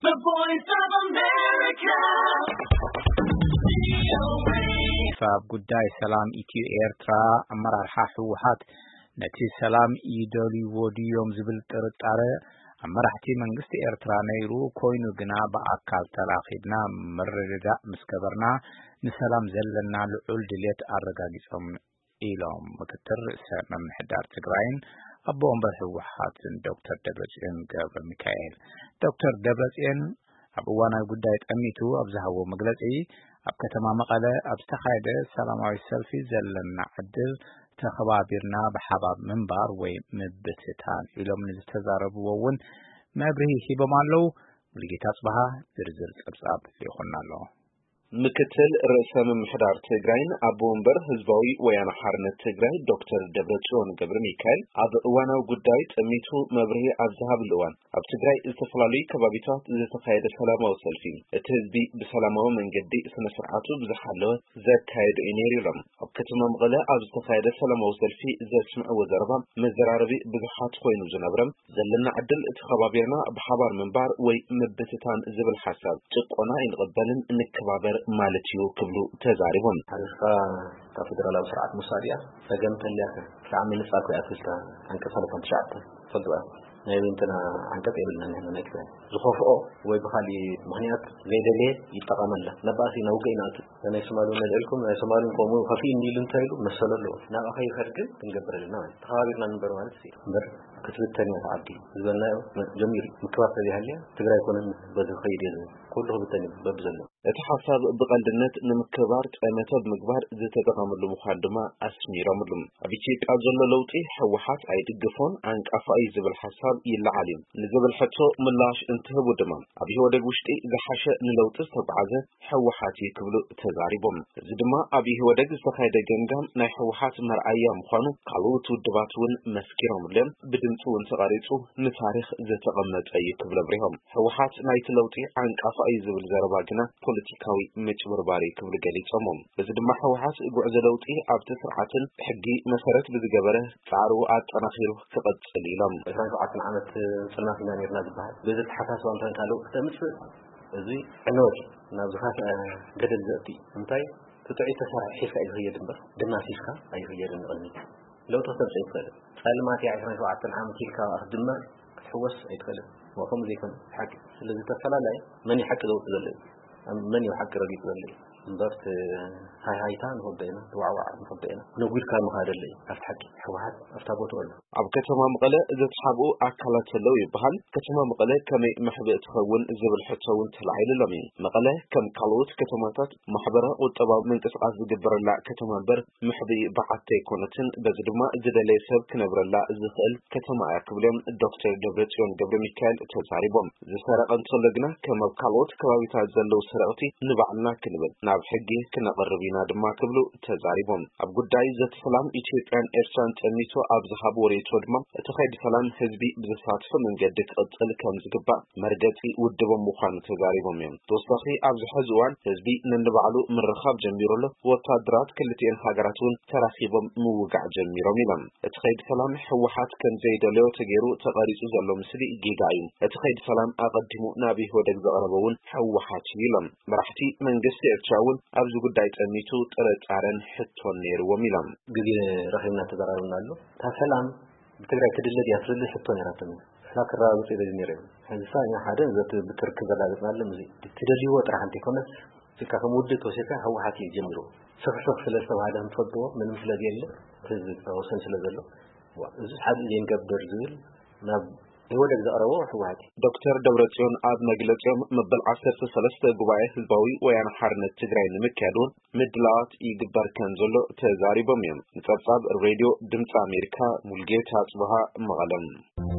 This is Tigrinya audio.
The Voice of America. ኣብ ጉዳይ ሰላም ኢትዮ ኤርትራ ኣመራርሓ ህወሓት ነቲ ሰላም ይደልይዎ ድዮም ዝብል ጥርጣረ ኣብ መራሕቲ መንግስቲ ኤርትራ ነይሩ ኮይኑ ግና ብኣካል ተራኺብና ምርድዳእ ምስ ገበርና ንሰላም ዘለና ልዑል ድልየት ኣረጋጊጾም ኢሎም ምክትል ርእሰ ምምሕዳር ትግራይን ኣቦ ወንበር ህወሓትን ዶክተር ደብረጽዮን ገብረ ሚካኤል። ዶክተር ደብረጽዮን ኣብ እዋናዊ ጉዳይ ጠሚቱ ኣብ ዝሃቦ መግለጺ ኣብ ከተማ መቐለ ኣብ ዝተኻየደ ሰላማዊ ሰልፊ ዘለና ዕድል ተኸባቢርና ብሓባር ምንባር ወይ ምብትታን ኢሎም ንዝተዛረብዎ እውን መብርሂ ሂቦም ኣለዉ። ሙሉጌታ ጽበሃ ዝርዝር ጸብጻብ ልኢኹና ኣሎ። ምክትል ርእሰ ምምሕዳር ትግራይን ኣቦ ወንበር ህዝባዊ ወያነ ሓርነት ትግራይ ዶክተር ደብረጽዮን ገብረ ሚካኤል ኣብ እዋናዊ ጉዳይ ጠሚቱ መብርሂ ኣብ ዝሃብሉ እዋን ኣብ ትግራይ ዝተፈላለዩ ከባቢታት ዝተኻየደ ሰላማዊ ሰልፊ እቲ ህዝቢ ብሰላማዊ መንገዲ ስነ ስርዓቱ ብዝሓለወ ዘካየዱ እዩ ነይሩ ኢሎም። ኣብ ከተማ መቐለ ኣብ ዝተኻየደ ሰላማዊ ሰልፊ ዘስምዕዎ ዘረባ መዘራረቢ ብዙሓት ኮይኑ ዝነብረ ዘለና ዕድል ተኸባቢርና ብሓባር ምንባር ወይ ምብትታን ዝብል ሓሳብ ጭቆና ኣይንቕበልን ንከባበር ማለት እዩ ክብሉ ተዛሪቦም። ሓሪፍካ ካብ ፌደራላዊ ስርዓት ምውሳድ እያ ጸገም ተልያከ ክሳዕ ምንጻል ኮይኣትልካ ዓንቀ ሰለሳን ትሽዓተ ፈልጥዋ ናይ ወይንትና ዓንቀጽ የብልና ንሕና ናይ ትግራይ ዝኸፍኦ ወይ ብኻሊእ ምኽንያት ዘይደለየ ይጠቐመላ ነባሲ ነውገ ይናቱ ናይ ሶማሉ ነልዕልኩም ናይ ሶማሉን ከምኡ ከፊ እንዲሉ እንታይ ኢሉ መሰሎ ኣለዎ ናብኣ ከይኸድ ግን ክንገብር ኣለና ማለት ተኸባቢርና ንበር ማለት እምበር ክትብተን እያ ዓዲ ዝበልናዮ ጀሚሩ ምክባር ተዘይሃልያ ትግራይ ኮነን በዚ ከይድ እየ ዝብል ኩሉ ክብተን እዩ በብዘሎ እቲ ሓሳብ ብቐልድነት ንምክባር ጠመተ ብምግባር ዝተጠቐምሉ ምዃን ድማ ኣስሚሮምሉ ኣብ ኢትዮጵያ ዘሎ ለውጢ ህወሓት ኣይድግፎን ዓንቃፋ እዩ ዝብል ሓሳብ ይለዓል እዩ ንዝብል ሕቶ ምላሽ እንትህቡ ድማ ኣብ ኢህወደግ ውሽጢ ዝሓሸ ንለውጢ ዝተጓዓዘ ህወሓት እዩ ክብሉ ተዛሪቦም። እዚ ድማ ኣብ ኢህወደግ ዝተኻየደ ገምጋም ናይ ህወሓት መርኣያ ምዃኑ ካልኦት ውድባት እውን መስኪሮምሉ እዮም። ብድምፂ እውን ተቐሪፁ ንታሪኽ ዝተቐመጠ እዩ ክብሉ ኣብሪሆም። ህወሓት ናይቲ ለውጢ ዓንቃፋ እዩ ዝብል ዘረባ ግና ፖለቲካዊ ምጭብርባር እዩ ክብሉ ገሊፆሞ። በዚ ድማ ህወሓት ጉዕዞ ለውጢ ኣብቲ ስርዓትን ሕጊ መሰረት ብዝገበረ ፃዕሩ ኣጠናኺሩ ክቐፅል ኢሎም። ዕስራን ሸውዓተን ዓመት ፅልማት ኢና ነርና ዝበሃል በዚ ተሓሳስባ እንታይ ካልእ ክተምፅእ እዚ ዕንወት እዩ ናብ ዝኸፍአ ገደል ዘእቲ እዩ እንታይ ትጥዒ ተሰራሕ ሒዝካ እዩ ዝኸየድ እምበር ድማሲስካ ኣይኸየድን ንቕድሚት ለውጢ ክተምፅእ ይትኽእል ፀልማት እያ ዕስራን ሸውዓተን ዓመት ኢልካ ክትድመር ክትሕወስ ኣይትኽእልን ወከም ዘይኮነ ሓቂ ስለዚ ተፈላለየ መን እዩ ሓቂ ዘውፅእ ዘሎ እዩ መን እዩ ሓቂ ረጊፁ ዘሎ እዩ እምበር ሃይሃይታ ንኸብዶ ኢና ዋዕዋዕ ንኸብዶ ኢና ነጒድካ ምኻደለ እዩ ኣብቲ ሓቂ ሕወሓት ኣብታ ቦትኡ ኣሎ ኣብ ከተማ መቐለ ዘተሓብኡ ኣካላት ኣለዉ ይበሃል። ከተማ መቐለ ከመይ መሕብእ ትኸውን ዝብል ሕቶ እውን ተላዒሉሎም እዩ። መቐለ ከም ካልኦት ከተማታት ማሕበረ ቁጠባዊ ምንቅስቃስ ዝግበረላ ከተማ እምበር መሕብኢ በዓቲ ኣይኮነትን። በዚ ድማ ዝደለየ ሰብ ክነብረላ ዝኽእል ከተማ እያ ክብሉ እዮም ዶክተር ደብረጽዮን ገብረ ሚካኤል ተዛሪቦም። ዝሰረቐ እንተሎ ግና ከም ኣብ ካልኦት ከባቢታት ዘለዉ ሰረቕቲ ንባዕልና ክንብል ናብ ሕጊ ክነቕርብ ኢና ድማ ክብሉ ተዛሪቦም። ኣብ ጉዳይ ዘተ ሰላም ኢትዮጵያን ኤርትራን ጠሚቱ ኣብ ዝሃብዎ ርእይቶ ድማ እቲ ከይዲ ሰላም ህዝቢ ብዘሳትፎ መንገዲ ክቕፅል ከም ዝግባእ መርገፂ ውድቦም ምዃኑ ተዛሪቦም እዮም። ተወሳኺ ኣብዚ ሕዚ እዋን ህዝቢ ነንባዕሉ ምርኻብ ጀሚሩ ኣሎ። ወታደራት ክልቲኤን ሃገራት እውን ተራኺቦም ምውጋዕ ጀሚሮም ኢሎም። እቲ ከይዲ ሰላም ህወሓት ከም ዘይደለዮ ተገይሩ ተቐሪፁ ዘሎ ምስሊ ጌጋ እዩ። እቲ ከይዲ ሰላም ኣቐዲሙ ናብ ኢህወደግ ዘቕረበ እውን ህወሓት እዩ ኢሎም። መራሕቲ መንግስቲ ኤርትራ እውን ኣብዚ ጉዳይ ጠሚቱ ጥርጣረን ሕቶን ነይርዎም ኢሎም። ግዜ ረኺብና ተዘራርብና ኣሎ። እታ ሰላም ብትግራይ ትድለ ድያ ትብል ሕቶ ነይራቶም እያ። ንሕና ክረጋግፁ ኢለ ነይረ። ሕዚ ሳ ኢና ሓደ ዘት ብትርክ ዘረጋግፅና ኣሎ። እዚ ትደልይዎ ጥራሕ እንተይኮነስ ስካ ከም ውድብ ተወሲድካ ህወሓት እዩ ጀሚሩ። ስፍሕፍሕ ስለ ዝተባሃለ ንፈልጥዎ ምንም ስለ ዘየለ እቲ ህዝቢ ወሰን ስለ ዘሎ እዚ ሓቂ ዘይንገብር ዝብል ናብ ኢህወደግ ዘቕረቦ ህወሓት እዩ። ዶክተር ደብረጽዮን ኣብ መግለጺኦም መበል ዓሰርተ ሰለስተ ጉባኤ ህዝባዊ ወያነ ሓርነት ትግራይ ንምክያድ እውን ምድላዋት ይግበር ከም ዘሎ ተዛሪቦም እዮም። ንጸብጻብ ሬድዮ ድምፂ ኣሜሪካ ሙልጌታ ጽብሃ መቐለም።